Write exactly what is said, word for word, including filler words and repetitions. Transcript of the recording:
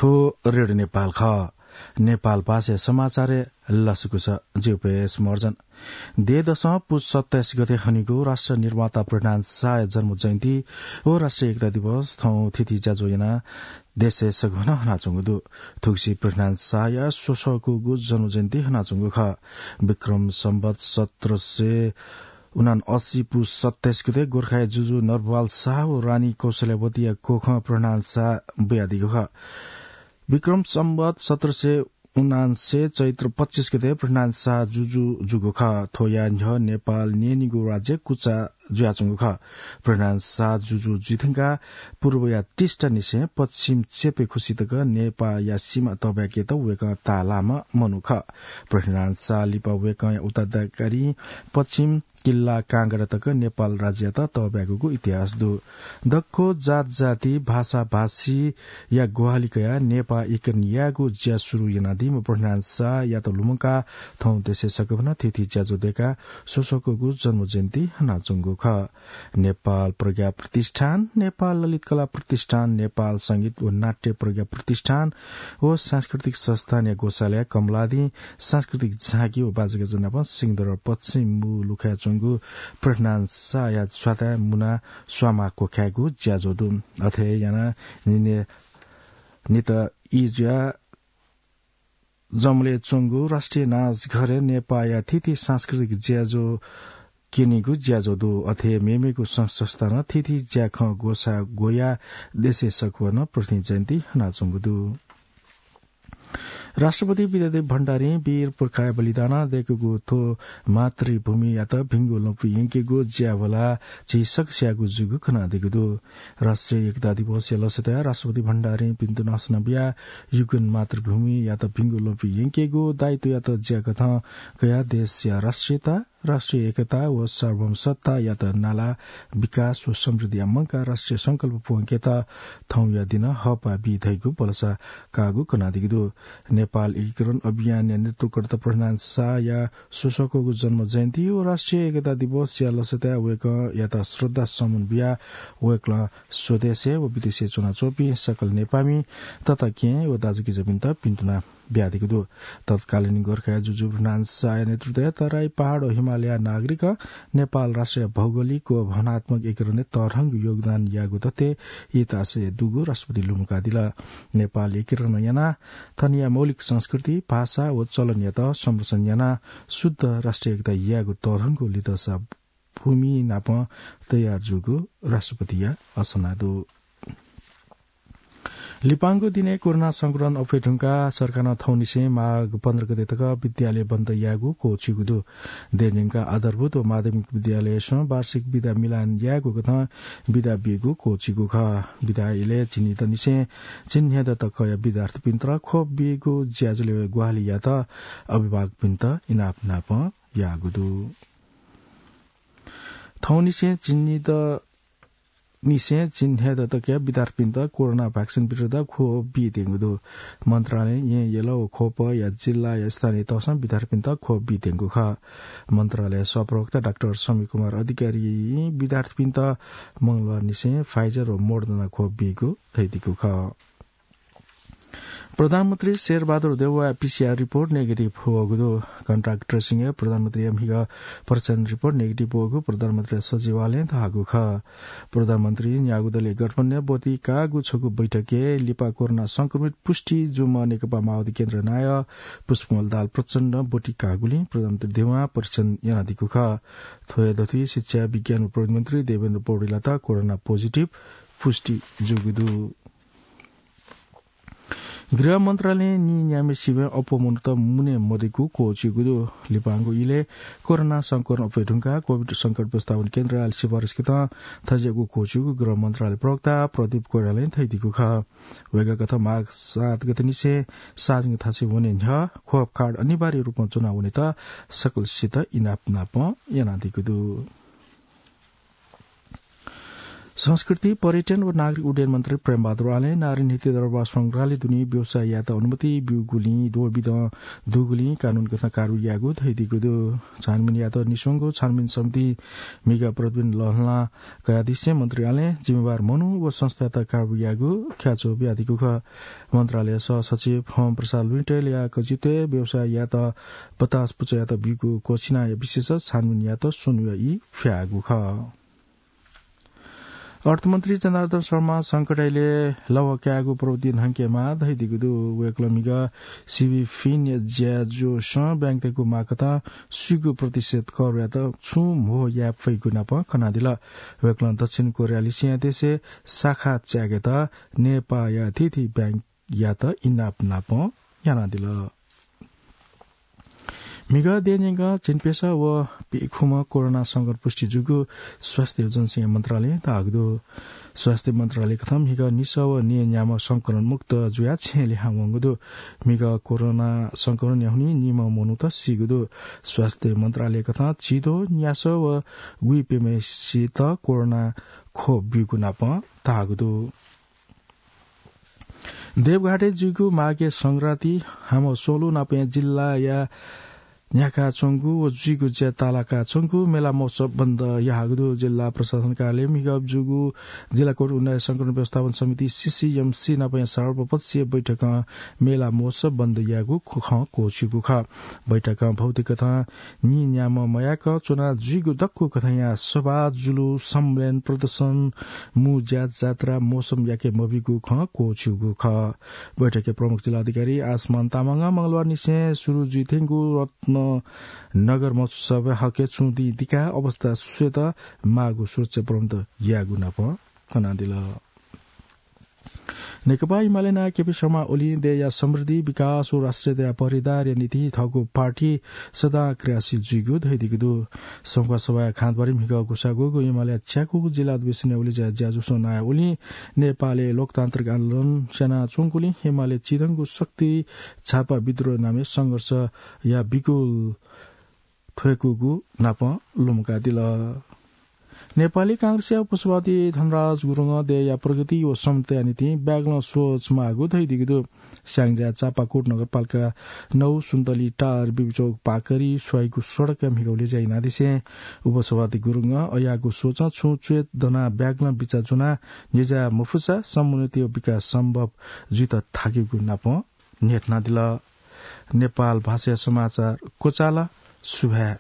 थ्व रेडियो नेपाल खः। नेपाल भाषाया समाचारय् लसकुस। जिगु पेस महर्जन। देय् दसं पुस सत्ताइस गते हनीगु राष्ट्र निर्माता पृथ्वीनारायण शाहया जन्म जयन्ती व राष्ट्रिय एकता दिवस थौं थीथी ज्याझ्वः यानाः देशय् सघं हनाच्वंगु दु। थुगुसी पृथ्वीनारायण शाहया स्वसःकूगु जन्म जयन्ती हनाच्वंगु खः। विक्रम सम्वत सत्र सय उनासी पुस सत्ताइस गते गोर्खाया जुजु नरबहाल शाह व रानी कौशल्यावतीया कोखं पृथ्वीनारायण शाह बुयादीगु खः। विक्रम सम्वत सत्र सय उनान्सय चैत्र पच्चिस गते पृथ्वीनारायण शाह जुजु जूगु खः। थ्वया न्ह्यः नेपाल न्यनीगु राज्य कुचा जुयाच्वंगु खः। पृथ्वीनारायण शाह जुजु जुइधुंकाः पूर्वया टिस्टानिसें पश्चिम चेपेखुसी तक नेपाःया सीमा तःब्याकेत वय्कः ताःलाःम्ह मनू खः। पृथ्वीनारायण शाह लिपा वय्कःया उत्तराधिकारीं पश्चिम किल्ला काँगडा तक नेपाल राज्ययात तःब्याकूगु इतिहास दु। दक्व जात जाति, भाषा भाषीया ग्वाहालि कयाः नेपाः एकीकरण यायेगु ज्या सुरु यानादीम्ह पृथ्वीनारायण शाहयात लुमंकाः थौं देशय् सकभनं थीथी ज्याझ्वः दय्काः स्वसःकूगु जन्म जयन्ती हनाच्वंगु खः। नेपाल प्रज्ञा प्रतिष्ठान, नेपाल ललित कला प्रतिष्ठान, नेपाल संगीत व नाट्य प्रज्ञा प्रतिष्ठान व सांस्कृतिक संस्थानया ग्वसालय् कमलादिं सांस्कृतिक झाँकी व बाजागाजा नाप सिंहदरबार पश्चिम मू लुखाय् च्वंगु पृथ्वीनारायण शाहया च्वाताय् मुना स्वांमाः क्वखायेगु ज्याझ्वः दु। अथे यानाः निने नित ई जुयाः जमलय् च्वंगु राष्ट्रिय नाचघरय् नेपाःया थीथी सांस्कृतिक ज्याझ्वः क्यनीगु ज्याझ्वः दु। अथे मेमेगु संस्था नं थीथी ज्याखँ ग्वसाः ग्वयाः देशय् सकभनं पृथ्वीनारायण जयन्ती हनाच्वंगु दु। राष्ट्रपति विद्यादेवी भण्डारीं वीर पुर्खाया बलिदानं दय्कूगु थ्व मातृभूमियात भिंगु लँपुइ यंकेगु ज्या ह्वलाः झी सकसियागु जूगु कनादीगु दु। राष्ट्रिय एकता दिवसया लसताय् राष्ट्रपति भण्डारीं भिन्तुना हसना बियाः युगुन मातृभूमियात भिंगु लँपुइ यंकेगु दायित्वयात ज्याकथं कयाः देशया राष्ट्रियता, राष्ट्रिय एकता व सार्वभौम सत्तायात नालाः विकास व समृद्धिया मंकाः राष्ट्रिय संकल्प प्वंकेत थौंया दिनं हःपाः बी धइगु भलसा काःगु कनादीगु दु। नेपाल एकीकरण अभियानया नेतृत्वकर्ता पृथ्वीनारायण शाहया स्वसःकूगु जन्म जयन्ती व राष्ट्रिय एकता दिवसया लसताय् वय्कःयात श्रद्धा सुमन बियाः वय्कलं स्वदेशय् व विदेशय् च्वनाच्वंपिं सकल नेपाःमि तताकेहेँ व दाजुकिजापिन्त भिन्तुना बियादीगु दु। तत्कालीन गोर्खाया जुजु पृथ्वीनारायण शाहया नेतृत्वय् तराई, पहाड व हिमालया नागरिकं नेपाल राष्ट्रया भौगोलिक व भावनात्मक एकीकरणय् तःधंगु योगदान याःगु तथ्य इतिहासय् दुगु राष्ट्रपतिं लुमंकादिल। नेपाल एकीकरण यानाः थनया मौलिक संस्कृति, भाषा व चलनयात संरक्षण यानाः शुद्ध राष्ट्रिय एकता यायेगु तःधंगु लिधंसा भूमि नाप तयार जूगु राष्ट्रपतिया असना दु। लिपांगु दिनय् कोरोना संक्रमण अप्वये धुंकाः सरकारं थौंनिसें माघ पन्ध्र गते तक विद्यालय बन्द यायेगु क्वःछिउगु दु। देय् न्यंकाः आधारभूत व माध्यमिक विद्यालयसं वार्षिक बिदा मिलान यायेगु कथं बिदा बीगु क्वःछिउगु खः। बिदा इलय् झिंनिदँनिसें झिंन्हय्दँ तकया विद्यार्थीपिन्त ख्वप बीगु ज्याझ्वलय् ग्वाहालि यायेत अभिभावकपिन्त इनाप नाप याःगु दु। थौंनिसें झिंनिदँ निसें झिंन्हय्दँ तकया विद्यार्थीपिन्त कोरोना भ्याक्सिन विरुद्ध ख्वप बीत्यंगु दु। मन्त्रालयं येँ यल व ख्वपया जिल्लाया स्थानीय तहसं विद्यार्थीपिन्त ख्वप बीत्यंगु खः। मन्त्रालय सहप्रवक्ता डाक्टर समीर कुमार अधिकारीं विद्यार्थीपिन्त मंगलबारनिसें Pfizer व Moderna ख्वप बीगु धयादीगु खः। प्रधानमन्त्री शेरबहादुर देउवाया पीसीआर रिपोर्ट नेगेटिभ वःगु दु। कन्ट्याक्ट ट्रेसिङय् प्रधानमन्त्रीया म्हिगः परीक्षण रिपोर्ट नेगेटिभ वःगु प्रधानमन्त्रीया सचिवालयं धाःगु खः। प्रधानमन्त्रीं न्यागू दलया गठबन्धनय् ब्वति काःगु छगू बैठकय् लिपा कोरोना संक्रमित पुष्टि जूम्ह नेकपा माओवादी केन्द्र नायः पुष्पकमल दाहाल प्रचण्डं ब्वति काःगुलिं प्रधानमन्त्री देउवां परीक्षण यानादीगु खः। थ्व हे दथुइ शिक्षा, विज्ञान व प्रविधि मन्त्री देवेन्द्र पौडेलयात कोरोना पोजिटिभ पुष्टि जूगु दु। गृह मन्त्रालयं नीन्याम्हेसिबें अप्वः मनूत मुने मदयेकूगु क्वःछिउगु दु। लिपांगु इलय् कोरोना संक्रमण अप्वये धुंकाः कोभिड संकट व्यवस्थापन केन्द्रयात सिफारिस कथं थज्याःगु क्वःछिउगु गृह मन्त्रालय प्रवक्ता प्रदीप कोइरालां धयादीगु खः। वय्कःकथं माघ सात गतेनिसें सार्वजनिक थासय् वने न्ह्यः ख्वप कार्ड अनिवार्य रूपं च्वना वनेत सकलसित इनाप नाप यानादीगु दु। संस्कृति, पर्यटन व नागरिक उड्डयन मन्त्री प्रेमबहादुर आलें नारायणी हिति दरबार संग्रहालय दुने व्यवसाय यायेत अनुमति ब्यूगुलिं द्वःबिदँ दुगुलिं कानून कथं कारवाही यायेगु धयादीगु दु। छानबिन यायेत निस्वंगु छानबिन समिति म्हिगः प्रतिवेदन लःल्हाना कयादिसें मन्त्री आलें जिम्मेवार मनू व संस्थायात कारवाही यायेगु ख्याच्वः बियादीगु खः। मन्त्रालय सहसचिव हं प्रसाद लुइँटय् ल्याः कजितय् व्यवसाय यायेत बतास पुचःयात ब्यूगु क्वःछिनाया विशेष छानबिन यायेत स्वन्हुया ई फ्याःगु खः। अर्थमन्त्री जनार्दन शर्मा संकटय् लः कायेगु प्रवृत्ति न्हंकेमाः धयादीगु दु। वय्कलं म्हिगः सिबी फिनया ज्याझ्वलय् ब्याङ्कतय्गु माःकथं स्वीगू प्रतिशत करयात छुं म्हो याये फइगु नाप कनादिल। वय्कलं दक्षिण कोरिया लिसेंया देशय् शाखा च्याकेत नेपाःया थीथी ब्याङ्कयात इनाप नाप यानादिल। म्हिगः देय् न्यंकं झिंप्यसः व पीखुम्ह कोरोना संक्रमण पुष्टि जूगु स्वास्थ्य व जनसंख्या मन्त्रालयं धाःगु दु। स्वास्थ्य मन्त्रालय कथं म्हिगः निसः व न्यय् न्याम्ह संक्रमण मुक्त जुयाः छेँय् लिहां वंगु दु। म्हिगः कोरोना संक्रमणया हुनिं निम्ह मनूत सीगु दु। स्वास्थ्य मन्त्रालय कथं झिद्वः न्यासः व गुइप्यम्हेसित कोरोना खोप ब्यूगु नाप धाःगु दु। देवघाटय् जुइगु माघे संक्रान्ति हामः स्वलु नापं जिल्लाया न्ह्याकाच्वंगु व जुइगु ज्या तालाकाच्वंगु मेला महोत्सव बन्द याःगु दु। जिल्ला प्रशासन कार्यालयं म्हिगः जूगु जिल्ला कोभिड उन्नाइस संक्रमण व्यवस्थापन समिति, सीसीएमसी, नापं सर्वपक्षीय बैठकं मेला महोत्सव बन्द याःगु खँ क्वःछिउगु खः। बैठकं भौतिक कथं न्यय् न्याम्ह मयाकं च्वना जुइगु दक्व कथंया सभा, जुलुस, सम्मेलन, प्रदर्शन, मुँज्या, जात्रा, मौसम याके मबीगु खँ क्वःछिउगु खः। बैठकया प्रमुख जिल्ला अधिकारी आसमान तामाङं मंगलबार निसें सुरु जुइथेंगु रत्ननगर महोत्सव हके छुं दिं दिकाः अवस्था स्वयेत माःगु सुरक्षा प्रबन्ध याःगु नाप कनादिल। नेकपा एमाले नायः केपी शर्मा ओलीं देय्‌या समृद्धि, विकास व राष्ट्रियताया पहरेदारया निंतिं थःगु पार्टी सदां क्रियाशील जुइगु धयादीगु दु। संखुवासभाया खाँचोबारी म्हिगः ग्वसाः ग्वःगु एमालेया च्याकूगु जिल्ला अधिवेशनय् उलेज्या ज्याझ्वलय् नायः ओलीं नेपालय् लोकतान्त्रिक आन्दोलन स्यानाच्वंगुलिं एमाले चिधंगु शक्ति झापा विद्रोह नामय् संघर्षया बिकुल थ्वय्‌कूगु नाप लुमंकादिल। नेपाली कांग्रेसया उपसभापति धनराज गुरुङं देय्‌या प्रगति व समताया निंतिं बाय्‌कलं सोच माःगु धयादीगु दु। स्याङ्जा चापाकोट नगरपालिका नौ सुन्तली टार बिबिचौक पाकरी स्वाइगु सडकया म्हिगः उलेज्या यानादिसें उपसभापति गुरुङं अज्याःगु सोचं छुं च्वय् दनाः बाय्‌कलं बिचाः ज्वनाः न्ह्यज्याः मफुसा समन्वित विकास सम्भव जुइत थाकेगु नाप न्ह्यथनादिल। नेपाल भाषाया समाचार क्वचाल। सुभाय्।